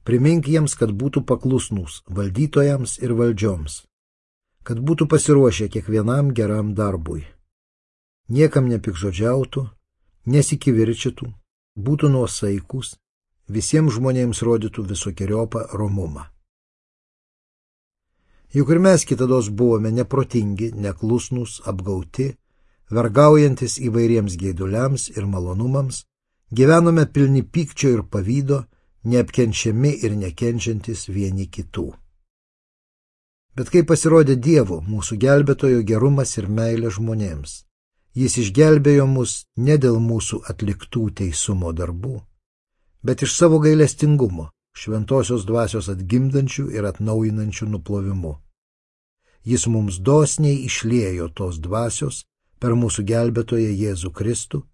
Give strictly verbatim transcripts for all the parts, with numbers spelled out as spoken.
Primink jiems, kad būtų paklusnūs valdytojams ir valdžioms, kad būtų pasiruošę kiekvienam geram darbui. Niekam nepikžodžiautų, nesikivirčytų, būtų nuosaikus, visiems žmonėms rodytų visokeriopą romumą. Juk ir mes kitados buvome neprotingi, neklusnūs, apgauti, vergaujantis įvairiems geiduliams ir malonumams, gyvenome pilni pykčio ir pavydo, neapkenčiami ir nekenčiantis vieni kitų. Bet kai pasirodė Dievo, mūsų gelbėtojo gerumas ir meilė žmonėms, jis išgelbėjo mus ne dėl mūsų atliktų teisumo darbų, bet iš savo gailestingumo, šventosios dvasios atgimdančių ir atnaujinančių nuplovimu. Jis mums dosniai išliejo tos dvasios per mūsų gelbėtoją Jėzų Kristų,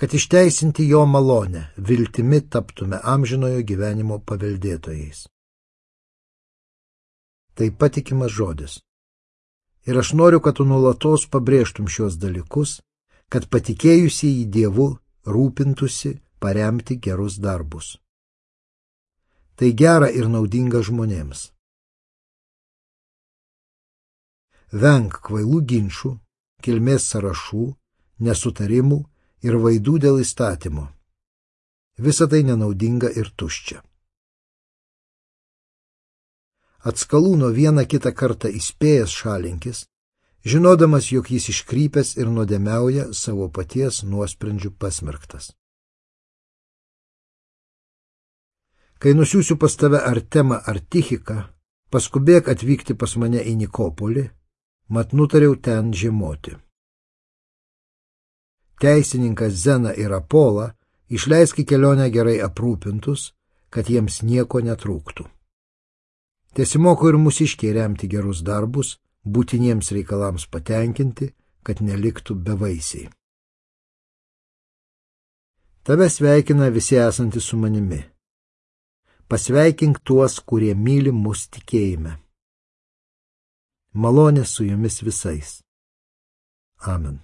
kad išteisinti jo malonę, viltimi taptume amžinojo gyvenimo paveldėtojais. Tai patikimas žodis. Ir aš noriu, kad tu nuolatos pabrėžtum šios dalykus, kad patikėjusieji Dievu rūpintųsi paremti gerus darbus. Tai gera ir naudinga žmonėms. Venk kvailų ginčų, kilmės sąrašų, nesutarimų ir vaidų dėl įstatymo. Visa tai nenaudinga ir tuščia. Atskalūno vieną kitą kartą įspėjęs šalinkis, žinodamas, jog jis iškrypęs ir nuodėmiauja, savo paties nuosprendžių pasmerktas. Kai nusiųsiu pas tave Artemą ar Tichiką, paskubėk atvykti pas mane į Nikopolį, mat nutariau ten žiemoti. Teisininkas Zeną ir Apolą išleisk į kelionę gerai aprūpintus, kad jiems nieko netrūktų. Tesimoko ir mūsiškiai remti gerus darbus, būtiniems reikalams patenkinti, kad neliktų bevaisiai. Tave sveikina visi esantys su manimi. Pasveikink tuos, kurie myli mus tikėjime. Malonė su jumis visais. Amen.